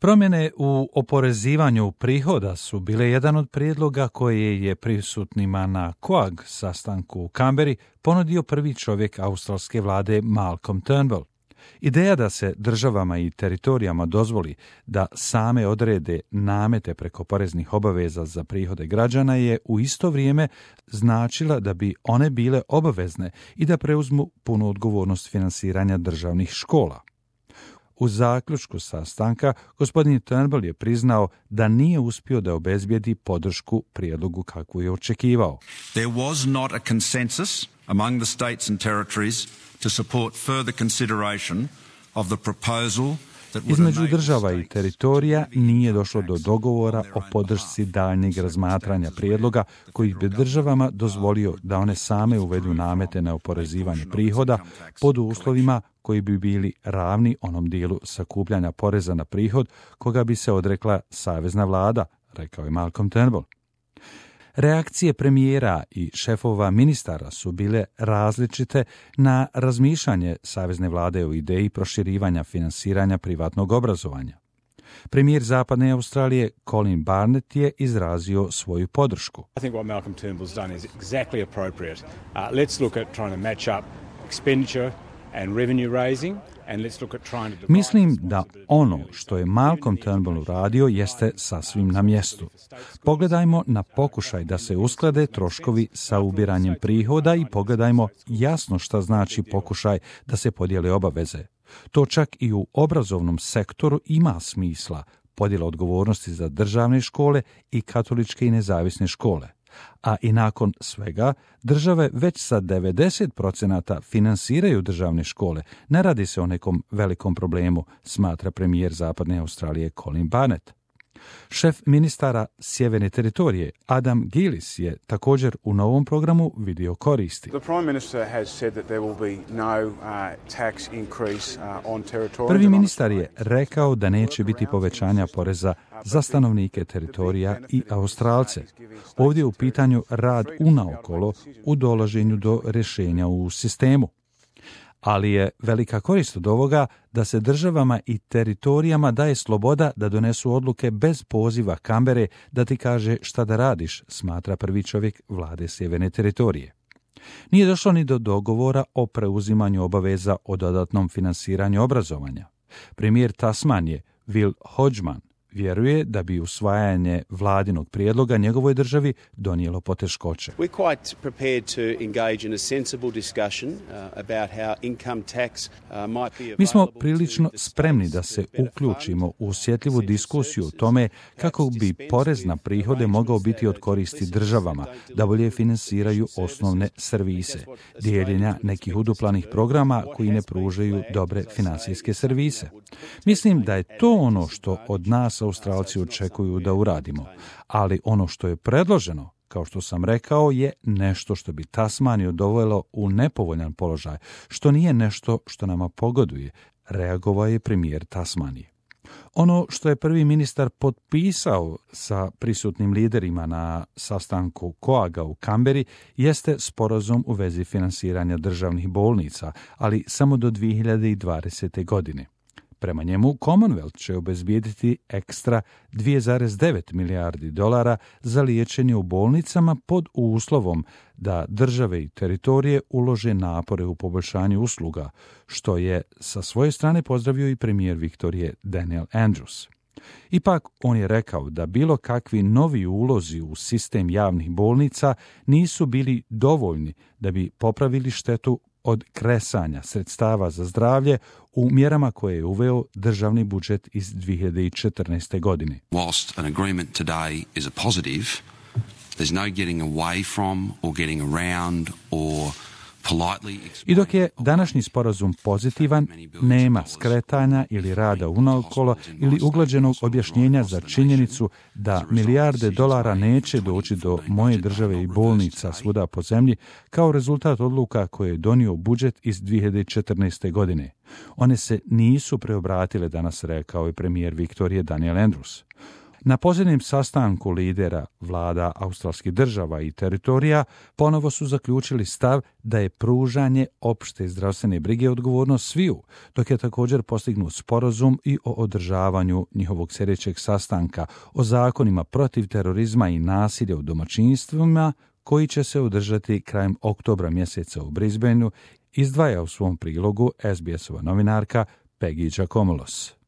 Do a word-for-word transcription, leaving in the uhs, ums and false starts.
Promjene u oporezivanju prihoda su bile jedan od prijedloga koje je prisutnima na C O A G sastanku u Canberri ponudio prvi čovjek australske vlade Malcolm Turnbull. Ideja da se državama i teritorijama dozvoli da same odrede namete preko poreznih obaveza za prihode građana je u isto vrijeme značila da bi one bile obavezne i da preuzmu punu odgovornost finansiranja državnih škola. U zaključku sastanka gospodin Turnbull je priznao da nije uspio da obezbijedi podršku prijedlogu kakvu je očekivao. There was not a consensus among the states and territories to support further consideration of the proposal. Između država i teritorija nije došlo do dogovora o podršci daljnjeg razmatranja prijedloga koji bi državama dozvolio da one same uvedu namete na oporezivanje prihoda pod uslovima koji bi bili ravni onom dijelu sakupljanja poreza na prihod koga bi se odrekla savezna vlada, rekao je Malcolm Turnbull. Reakcije premijera i šefova ministara su bile različite na razmišljanje savezne vlade o ideji proširivanja finansiranja privatnog obrazovanja. Premijer Zapadne Australije Colin Barnett je izrazio svoju podršku. I think what Malcolm Turnbull's done is exactly appropriate. Uh, let's look at trying to match up expenditure and revenue raising. Mislim da ono što je Malcolm Turnbull uradio jeste sasvim na mjestu. Pogledajmo na pokušaj da se usklade troškovi sa ubiranjem prihoda i pogledajmo jasno šta znači pokušaj da se podijele obaveze. To čak i u obrazovnom sektoru ima smisla, podjela odgovornosti za državne škole i katoličke i nezavisne škole. A i nakon svega, države već sa devedeset posto finansiraju državne škole. Ne radi se o nekom velikom problemu, smatra premijer Zapadne Australije Colin Barnett. Šef ministara Sjeverne teritorije Adam Gillis je također u novom programu vidio koristi. Prvi ministar je rekao da neće biti povećanja poreza za stanovnike teritorija i Australce. Ovdje je u pitanju rad unaokolo u dolaženju do rješenja u sistemu. Ali je velika korist od ovoga da se državama i teritorijama daje sloboda da donesu odluke bez poziva Canberre da ti kaže šta da radiš, smatra prvi čovjek vlade Sjeverne teritorije. Nije došlo ni do dogovora o preuzimanju obaveza o dodatnom finansiranju obrazovanja. Premijer Tasmanije Will Hodgman vjeruje da bi usvajanje vladinog prijedloga njegovoj državi donijelo poteškoće. Mi smo prilično spremni da se uključimo u osjetljivu diskusiju o tome kako bi porez na prihode mogao biti od koristi državama, da bolje finansiraju osnovne servise, dijeljenja nekih uduplanih programa koji ne pružaju dobre financijske servise. Mislim da je to ono što od nas Australci očekuju da uradimo, ali ono što je predloženo, kao što sam rekao, je nešto što bi Tasmaniju dovelo u nepovoljan položaj, što nije nešto što nama pogoduje, reagovao je premijer Tasmanije. Ono što je prvi ministar potpisao sa prisutnim liderima na sastanku C O A G-a u Canberri jeste sporazum u vezi finansiranja državnih bolnica, ali samo do dvije hiljade dvadesete. godine. Prema njemu, Commonwealth će obezbijediti ekstra dvije zarez devet milijardi dolara za liječenje u bolnicama pod uslovom da države i teritorije ulože napore u poboljšanju usluga, što je sa svoje strane pozdravio i premijer Viktorije Daniel Andrews. Ipak, on je rekao da bilo kakvi novi ulozi u sistem javnih bolnica nisu bili dovoljni da bi popravili štetu od kresanja sredstava za zdravlje u mjerama koje je uveo državni budžet iz dvije hiljade četrnaeste. godine. Whilst an agreement today is a positive, there's no getting away from or getting around or I dok je današnji sporazum pozitivan, nema skretanja ili rada unaokolo ili uglađenog objašnjenja za činjenicu da milijarde dolara neće doći do moje države i bolnica svuda po zemlji kao rezultat odluka koje je donio budžet iz dvije hiljade četrnaeste. godine. One se nisu preobratile danas, rekao je premijer Viktorije Daniel Andrews. Na posljednjem sastanku lidera vlada australskih država i teritorija ponovo su zaključili stav da je pružanje opšte zdravstvene brige odgovornost sviju, dok je također postignut sporazum i o održavanju njihovog sljedećeg sastanka o zakonima protiv terorizma i nasilja u domaćinstvima, koji će se održati krajem oktobra mjeseca u Brisbaneu, izdvaja u svom prilogu es be es-ova novinarka Peggy Giacomolos.